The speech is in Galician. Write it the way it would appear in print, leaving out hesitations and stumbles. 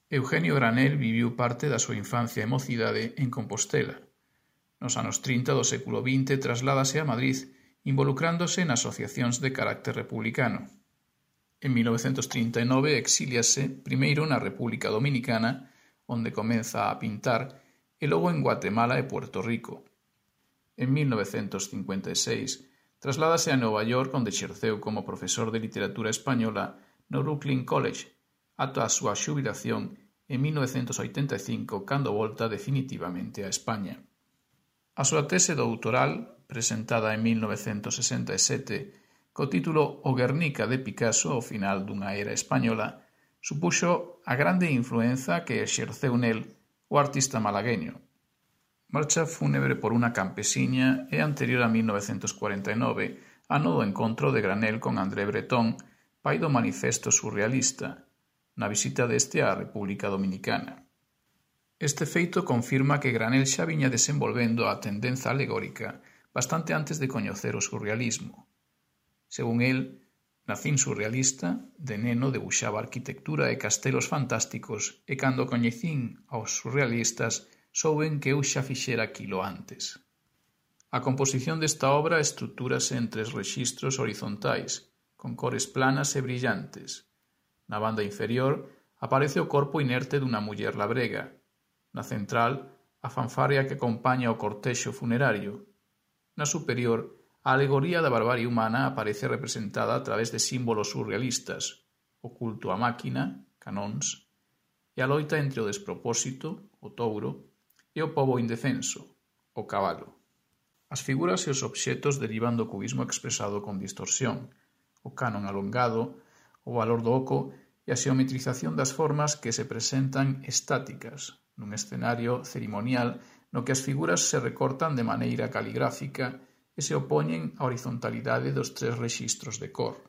Eugenio Granel viviu parte da súa infancia e mocidade en Compostela. Nos anos 30 do século XX trasládase a Madrid involucrándose en asociacións de carácter republicano. En 1939 exíliase primeiro na República Dominicana, onde comeza a pintar, e logo en Guatemala e Puerto Rico. En 1956 trasládase a Nova York, onde exerceu como profesor de literatura española no Brooklyn College, ata a súa xubilación en 1985, cando volta definitivamente a España. A súa tese doutoral, presentada en 1967, co título O Guernica de Picasso ao final dunha era española, supuxo a grande influenza que exerceu nel o artista malagueño. Marcha fúnebre por unha campesiña é anterior a 1949, ano do encontro de Granel con André Breton, pai do Manifesto Surrealista, na visita deste á República Dominicana. Este feito confirma que Granel xa viña desenvolvendo a tendenza alegórica bastante antes de coñecer o surrealismo. Según el, nacín surrealista, de neno debuxaba arquitectura e castelos fantásticos e cando coñecín aos surrealistas souben que eu xa fixera aquilo antes. A composición desta obra estructúrase en 3 rexistros horizontais, con cores planas e brillantes. Na banda inferior aparece o corpo inerte dunha muller labrega. Na central, a fanfarria que acompaña o cortexo funerario. Na superior, a alegoría da barbarie humana aparece representada a través de símbolos surrealistas, o culto á máquina, canóns, e a loita entre o despropósito, o touro, e o pobo indefenso, o cabalo. As figuras e os obxetos derivan do cubismo expresado con distorsión, o canon alongado, o valor do oco e a xeometrización das formas que se presentan estáticas, nun escenario ceremonial no que as figuras se recortan de maneira caligráfica e se opoñen á horizontalidade dos 3 rexistros de cor.